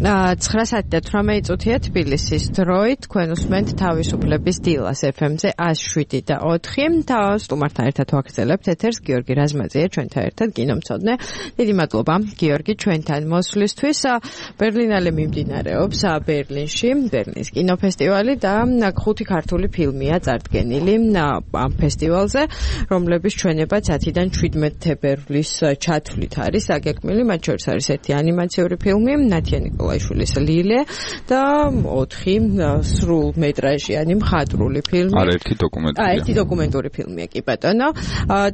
9:18 თბილისის დროით თქვენ უსმენთ თავისუფლების დილას FM-ზე 107.4 და სტუმართან ერთად ვაგრძელებთ ეთერს გიორგი რაზმაძეა ჩვენთან ერთად კინომცოდნე. დიდი მადლობა გიორგი ჩვენთან მოსვლისთვის. ბერლინალე მიმდინარეობს ბერლინში, ბერლინის კინოფესტივალი და 5 ქართული ფილმია წარდგენილი ამ ფესტივალზე, რომლების ჩვენება 10-დან 17 თებერვლის ჩათვლით არის აგეგმილი. მათ შორის არის ერთი ანიმაციური ფილმი ნათია ნიკოლაიშვილის ლილე და 4 სრულმეტრაჟიანი მხატვრული ფილმი. ერთი დოკუმენტური. ერთი დოკუმენტური ფილმია კი ბატონო.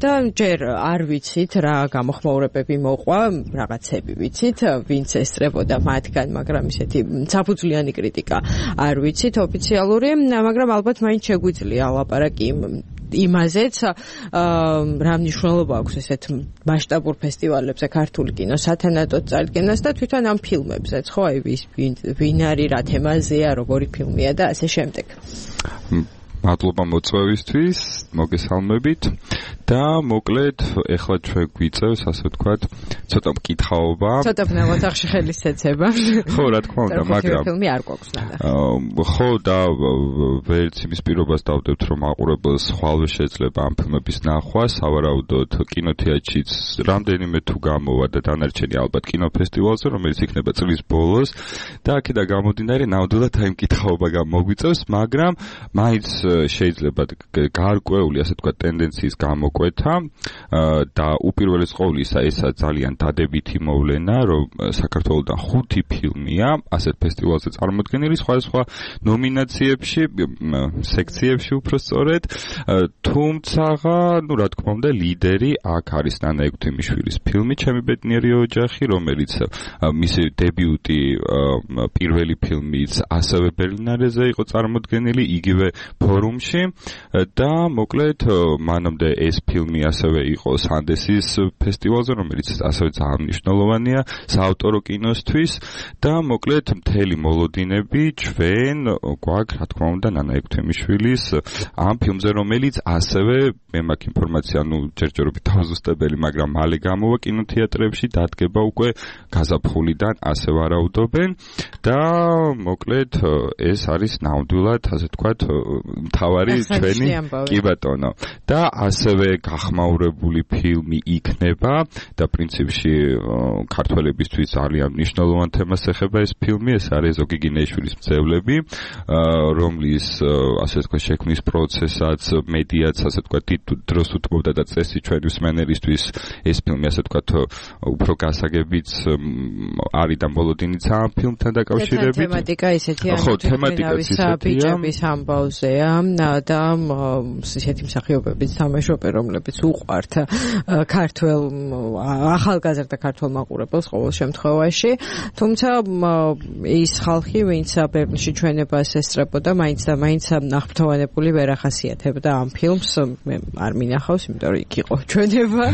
და ჯერ არ ვიცით რა გამოხმაურებები მოყვა, რაღაცები ვიცით, ვინც ესწრებოდა მათგან, მაგრამ ისეთი საფუძვლიანი კრიტიკა არ ვიცით ოფიციალური, მაგრამ ალბათ მაინც შეგვიძლია ლაპარაკი იმაზეც რა მნიშვნელობა აქვს ესეთ მასშტაბურ ფესტივალებზე ქართული კინოს სათანადოდ წარდგენას და თვითონ ამ ფილმებზეც, ხო, აი ვინ არის, რა თემაზეა, როგორი ფილმია და ასე შემდეგ. მადლობა მოწვევისთვის, მოგესალმებით და მოკლედ ეხლა ჩვენ გვიწევს ასე ვთქვათ, ცოტა მკითხაობა. ცოტა ნავოთახში ხელისეცება. ხო, რა თქმა უნდა, მაგრამ ფილმი არ გვაქვს ნახე. ხო და ვერც იმის პირობას დავდებთ, რომ მაყურებელს ხვალვე შეძლება ამ ფილმების ნახვა, სავარაუდოდ კინოთეატრშიც რამდენიმე თუ გამოვა და დანარჩენი ალბათ კინოფესტივალზე, რომელიც იქნება წლის ბოლოს და აქედან გამომდინარე ნამდვილად აი მკითხაობა გამოგვიწევს, მაგრამ მაინც შეიძლება გარკვეული ასე ვთქვათ ტენდენციის გამოკვეთა და უპირველეს ყოვლისა ესა ძალიან დადებითი მოვლენა, რომ საქართველოსთან 5 ფილმია ასეთ ფესტივალზე წარმოდგენილი სხვადასხვა ნომინაციებში, სექციებში უფრო სწორედ, თუმცა, ნუ რა თქმა უნდა, ლიდერი აქ არის ნანა ექვთიმიშვილის ფილმი ჩემი ბედნიერი ოჯახი, რომელიც მისი დებიუტი პირველი ფილმიც ასევე ბერლინალეზე იყო წარმოდგენილი, იგივე ფორუმში და მოკლედ მანამდე ეს ფილმი ასევე იყო სანდენსის ფესტივალზე, რომელიც ასევე ძალიან მნიშვნელოვანია საავტორო კინოსთვის და მოკლედ მთელი მოლოდინები ჩვენ გვაქვს, რა თქმა უნდა, ნანა ექვთიმიშვილის ამ ფილმზე, რომელიც ასევე მე მაქვს ინფორმაცია, ჯერჯერობით თავზუსტებელი, მაგრამ მალე გამოვა კინოთეატრებში, დადგება უკვე გაზაფხულიდან ასე ვარაუდობენ და მოკლედ ეს არის ნამდვილად, ასე ვთქვათ, მთავარი ჩვენი კი ბატონო და ასევე გახმაურებული ფილმი იქნება და პრინციპში ქართველებისთვის ძალიან მნიშვნელოვან თემას ეხება ეს ფილმი, ეს არის ზოგი გინეიშვილის მძევლები, რომლის ასე ვთქვათ შექმნის პროცესაც, მედიაც ასე ვთქვათ დროს უთმობდა და წესი ჩვენი მსმენელისთვის ეს ფილმი ასე ვთქვათ უფრო გასაგებიც არის და მოლოდინიც ამ ფილმთან დაკავშირებით. თემატიკა ისეთია, ბიჭების ამბავზეა და ისეთი მსახიობების თამაშობენ, რომლებიც უყვართ ქართველ ახალგაზრდა ქართველ მაყურებელს ყოველ შემთხვევაში, თუმცა ის ხალხი, ვინც ბერლინში ჩვენებას ესწრებოდა, მაინც და მაინც აღფრთოვანებული ვერ ახასიათებდა ამ ფილმს, მე არ მინახავს, იმიტომ რომ იქ იყო ჩვენება,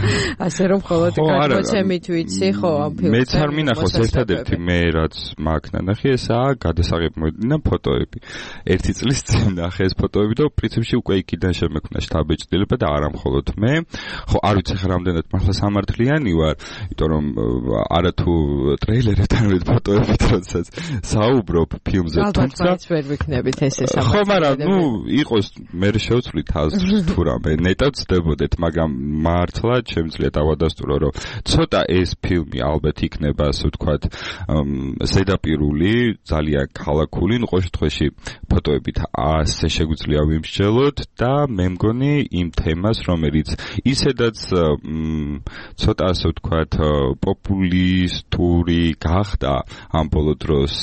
ასე რომ მხოლოდ გადმოცემით ვიცი, ხო, ამ ფილმს. მეც არ მინახავს, ერთადერთი მე რაც მაქვს ნანახი, ესაა გადასაღებმოედინა ფოტოები. 1 წლის წინ ნახე ეს ფოტოები და პრინციპში უკვე იქიდან შემექმნა შთაბეჭდილება და არა მხოლოდ მე. ხო, არ ვიცი ხა რამდენად მართლა სამართლიანი ვარ, იმიტომ რომ არათუ ტრეილერებთან ვიდ ფოტოებით როდესაც საუბრობ ფილმზე, თუმცა ალბათ ვერ ვიქნებით ესე სამართლიანი. ხო, მაგრამ იყოს მე შევცვლით თუ რამე ნეტად ვწდებოდეთ, მაგრამ მართლა შემიძლია დავადასტურო, რომ ცოტა ეს ფილმი ალბათ იქნება, ასე ვთქვათ, ზედაპირული, ძალიან ქალაქული, ყოველ შემთხვევაში ფოტოებით ასე შეგვიძლია ვიმსჯელოთ და მე მგონი იმ თემას, რომელიც ისედაც ცოტა ასე ვთქვათ პოპულისტური გახდა ამ ბოლო დროს,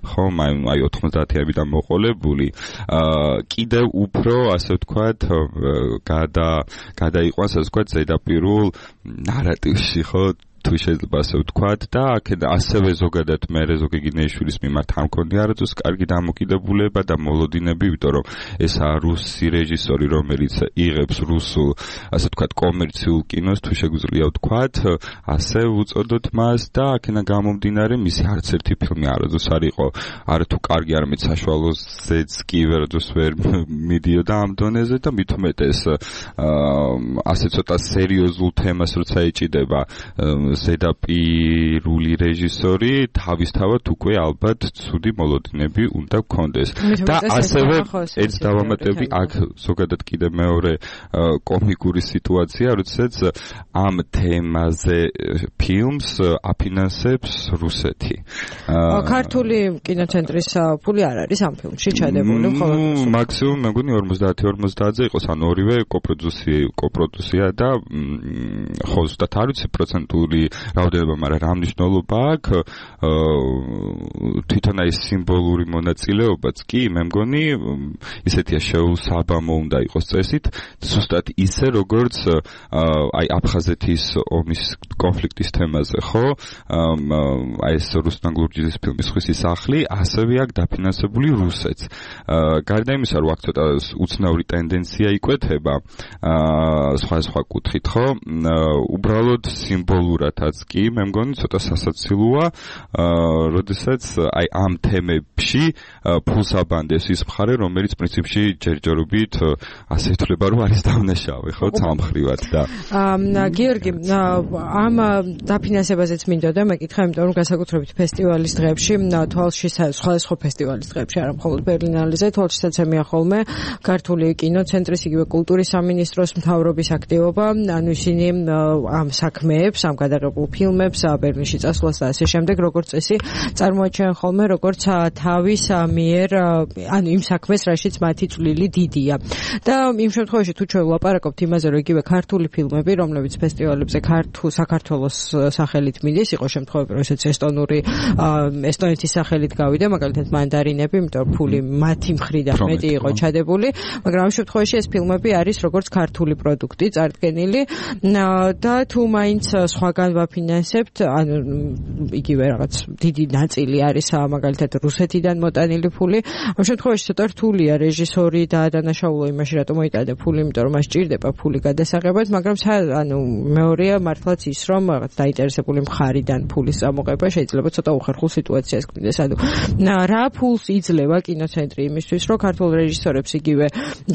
ხომ, აი 90-იანებიდან მოყოლებული, კიდევ უფრო ასე ვთქვათ გადაიყვანს ასე ვთქვათ ზედაპირულ ნარატივში, ხო, თუ შეიძლება ასე ვთქვათ და აქედან ასევე ზოგადად მე ზოგი გინეიშვილის მიმართ არ მქონია არასდროს კარგი დამოკიდებულება და მოლოდინები, იმიტომ რომ ესაა რუსი რეჟისორი, რომელიც იღებს რუსულ ასე ვთქვათ კომერციულ კინოს, თუ შეგვიძლია ვთქვათ, ასე უწოდოთ მას და აქედან გამომდინარე მისი არც ერთი ფილმი არასდროს არ იყო არათუ კარგი, არამედ საშუალოზეც კი ვერასდროს ვერ მიდიოდა ამ დონეზე და მით უმეტეს ასე ცოტა სერიოზულ თემას როცა ეჭიდება ზედაპირული რეჟისორი თავისთავად უკვე ალბათ ცუდი მოლოდინები უნდა გქონდეს და ასევე ეს დავამატები აქ ზოგადად კიდე მეორე კომიკური სიტუაცია როდესაც ამ თემაზე ფილმს აფინანსებს რუსეთი ქართული კინოცენტრის ფული არ არის ამ ფილმში ჩადებული მხოლოდ მაქსიმუმ მე მგონი 50-50-ზე იყოს ან ორივე კოპროდუცია და ხო ზუსტად არ ვიცი პროცენტული რაოდენობა მაგრამ რა მნიშვნელობა აქვს თვითონ აი სიმბოლური მონაწილეობაც კი მე მგონი ისეთია შეუსაბამო უნდა იყოს წესით ზუსტად ისე როგორც აი აფხაზეთის ომის კონფლიქტის თემაზე ხო აი ეს რუსთან გურჯიძის ფილმის ხვისი სახლი ასევე აქ დაფინანსებული რუსეთს გარდა იმისა რომ აქ ცოტა უცნაური ტენდენცია იკვეთება სხვა კუთხით ხო უბრალოდ სიმბოლურადაც კი მე მგონი ცოტა სასაცილოა როდესაც აი ამ თემებში ფულს აბანდეს ის მხარე რომელიც პრინციპში ჯერჯერობით ასე ითვლება რომ არის დავნაშავე ხო სამხრივად და გიორგი ამ დაფინანსებაზეც მინდოდა მეკითხა იმიტომ რომ განსაკუთრებით ფესტივალის დღეებში თვალში სხვადასხვა ფესტივალის დღეებში არა მხოლოდ ბერლინალიზე თვალშიაც ემია ხოლმე ქართული კინოცენტრის იგივე კულტურის სამინისტროს მთავრობის აქტივობა ანუ ისინი ამ საქმეებს ამ გადაღებულ ფილმებს ბერლინში წასვლას და ასე შემდეგ როგორც წესი წარმოაჩენენ ხოლმე როგორც თავის მიერ ანუ იმ საქმეს რაშიც მათი წვლილი დიდია და იმ შემთხვევაში თუ ჩვენ ვლაპარაკობთ იმაზე რომ იგივე ქართული ფილმები რომლებიც ფესტივალებზე საქართველოს სახელით მიდის იყო შემთხვევები როდესაც ესტონეთის სახელით გავიდა მაგალითად მანდარინები იმიტომ რომ ფული მათი მხრიდან მეტი იყო ჩადებული მაგრამ ამ შემთხვევაში ეს ფილმები არის როგორც ქართული პროდუქტი წარდგენილი და თუ მაინც სხვაგან ვაფინანსებთ ანუ იგივე რაღაც დიდი ნაწილი არის მაგალითად რუსეთიდან მოტანილი ფული ამ შემთხვევაში ცოტა რთულია რეჟისორი და დანაშაულო იმაში რატომ მოიტანა ფული იმიტომ რომ მას ჭირდება ფული გადასაღებად მაგრამ ანუ მეორეა მართლაც ის რომ რაღაც დაინტერესებული მხარიდან ფულის წამოღება შეიძლება ცოტა უხერხულ სიტუაციას გქონდეს ანუ რა ფულს იძლევა კინოცენტრი იმისთვის რომ ქართულ რეჟისორებს იგივე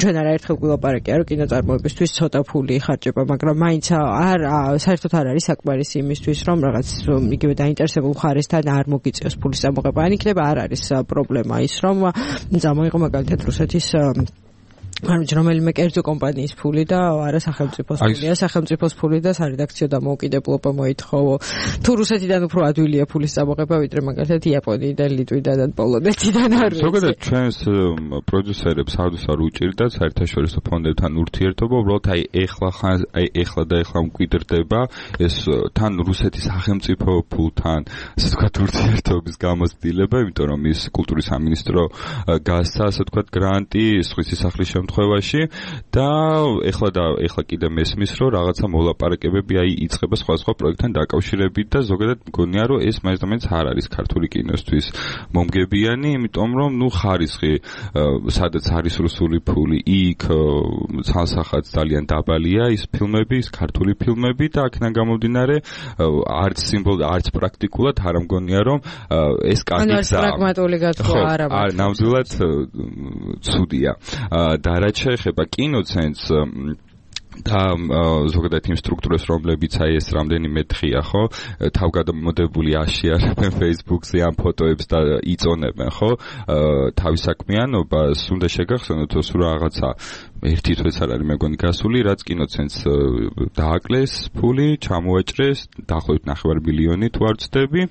ჩვენ არაერთხელ გვილაპარაკია რომ კინოწარმოებისთვის ცოტა ფული იხარჯება მაგრამ მაინც საერთოდ არ არის საკმარისი იმისთვის რომ რაღაც იგივე დაინტერესებულ მხარესთან არ მოგიწევს ფულის წამოღება ან იქნება არ არის პრობლემა ის რომ წამოიღო მაგალითად რუსეთის ანუ რომელიმე კერძო კომპანიის ფული და არა სახელმწიფოს ფულია სახელმწიფოს ფული და სარედაქციო დამოუკიდებლობა მოითხოვო თუ რუსეთიდან უფრო ადვილია ფულის წამოღება ვიდრე მაგალითად იაპონიიდან ლიტვიდან და პოლონეთიდან არ ვიცი ზოგადად ჩვენს პროდიუსერებს არ უჭირდათ საერთაშორისო ფონდებთან ურთიერთობა უბრალოდ აი ეხლა მკვიდრდება ეს თან რუსეთის სახელმწიფო ფულთან ასე ვთქვათ ურთიერთობის გამოცდილება იმიტომ რომ ის კულტურის სამინისტრო გასცა ასე ვთქვათ გრანტი სხვისი სახლის შემთხვევაში და ეხლა კიდე მესმის რომ რაღაცა მოლაპარაკებები აი იწყება სხვა პროექტთან დაკავშირებით და ზოგადად მგონია რომ ეს მაინც არ არის ქართული კინოსთვის მომგებიანი იმიტომ რომ ნუ ხარისხი სადაც არის რუსული ფული იქ ცალსახად ძალიან დაბალია ის ფილმები ის ქართული ფილმები და აქედან გამომდინარე არც სიმბოლურად არც პრაქტიკულად არ მგონია რომ ეს კარგი გზაა პრაგმატული გათხოვა არა ნამდვილად ცუდია და რაც შეეხება კინოცენტს და ზოგადად იმ სტრუქტურას რომლებიც აი ეს რამდენიმე დღეა ხო თავგადამოდებული აშიარებენ Facebook-ზე ამ ფოტოებს და იწონებენ ხო თავის საქმიანობას უნდა შეგახსენოთ რომ რაღაცა ერთი თვეც არ არის მეგონი გასული რაც კინოცენტს დააკლეს ფული ჩამოაჭრეს დაახლოებით 9 მილიონი თუ არ ვცდები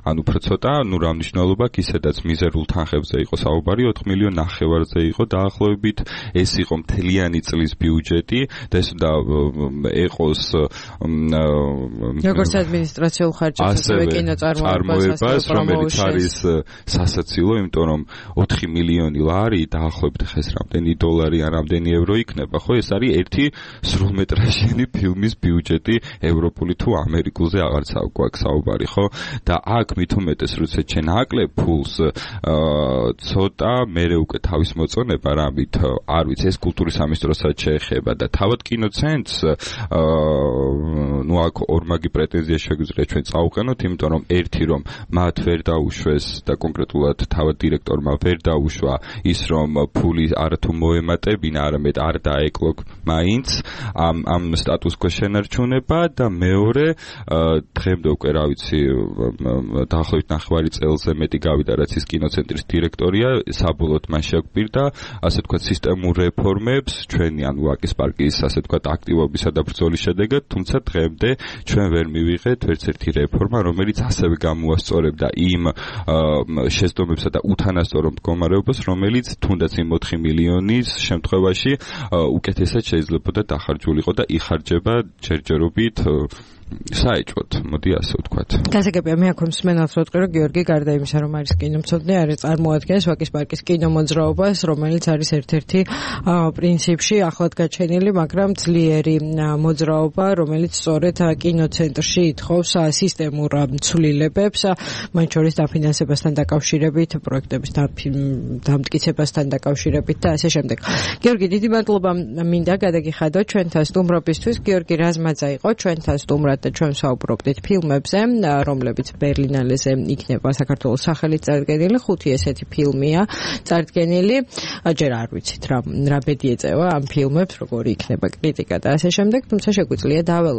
ანუ უფრო ცოტა ნუ რა მნიშვნელობა ისედაც მიზერულ თანხებზე იყო საუბარი 4 მილიონ 9-ზე იყო დაახლოებით ეს იყო მთლიანი წლის ბიუჯეტი და ეს უნდა ეყოს როგორც ადმინისტრაციულ ხარჯებს ასევე კინოწარმოებას რომელიც არის სასაცილო იმიტომ რომ 4 მილიონი ლარი დაახლოებით ხეს რამდენი დოლარი ან რამდენი ევრო იქნება ხო ეს არის ერთი სრულმეტრაჟიანი ფილმის ბიუჯეტი ევროპული თუ ამერიკულზე აღარც აქვს საუბარი ხო და აქ მით უმეტეს როცა ჩვენ აკლებ ფულს ცოტა მერე უკვე თავის მოწონება რამით არ ვიცი ეს კულტურის სამინისტროსაც შეეხება და თავად კინოცენტს ნუ აქ ორმაგი პრეტენზია შეგვიძლია ჩვენ წავუყენოთ იმიტომ რომ ერთი რომ მათ ვერ დაუშვეს და კონკრეტულად თავად დირექტორმა ვერ დაუშვა ის რომ ფული არათუ მოემატებინა არამედ ერთადერთად არ დაეკლო მაინც ამ სტატუს-კვოს შენარჩუნება და მეორე დღემდე უკვე რა ვიცი დაახლოებით 9 წელზე მეტი გავიდა რაც ის კინოცენტრის დირექტორია საბოლოოდ მან შეგვირდა ასე ვთქვათ სისტემურ რეფორმებს ჩვენი ანუ ვაკის პარკის ასე ვთქვათ აქტივობისა და ბრძოლის შედეგად თუმცა დღემდე ჩვენ ვერ მივიღეთ ერთ-ერთი რეფორმა რომელიც ასევე გამოასწორებდა იმ შეცდომებსა და უთანასწორო მდგომარეობას რომელიც თუნდაც იმ 4 მილიონის შემთხვევაში უკეთესად შეიძლებოდა დახარჯულიყო და იხარჯება ჯერჯერობით საეჭვოდ, მოდი ასე ვთქვათ. გასაგებია მე აქვე მსმენელს ვიტყვი, რომ გიორგი გარდა იმისა, რომ არის კინომცოდნე, არის წარმოადგენს ვაკის პარკის კინომოძრაობას, რომელიც არის ერთ-ერთი პრინციპში ახლად გაჩენილი, მაგრამ ძლიერი მოძრაობა, რომელიც სწორედ კინოცენტრში ითხოვს სისტემურ ცვლილებებს, მათ შორის დაფინანსებასთან დაკავშირებით, პროექტების დამტკიცებასთან დაკავშირებით და ასე შემდეგ. გიორგი, დიდი მადლობა მინდა გადაგიხადოთ ჩვენთან სტუმრობისთვის. გიორგი რაზმაძე იყო ჩვენთან სტუმრად და ჩვენ საუბრობდით ფილმებზე, რომლებიც ბერლინალეზე იქნება საქართველოს სახელით წარდგენილი. 5 ესეთი ფილმია წარდგენილი. ჯერ არ ვიცით რა ბედი ეწევა ამ ფილმებს, როგორი იქნება კრიტიკა და ასე შემდეგ, თუმცა შეგვიძლია დაველოდოთ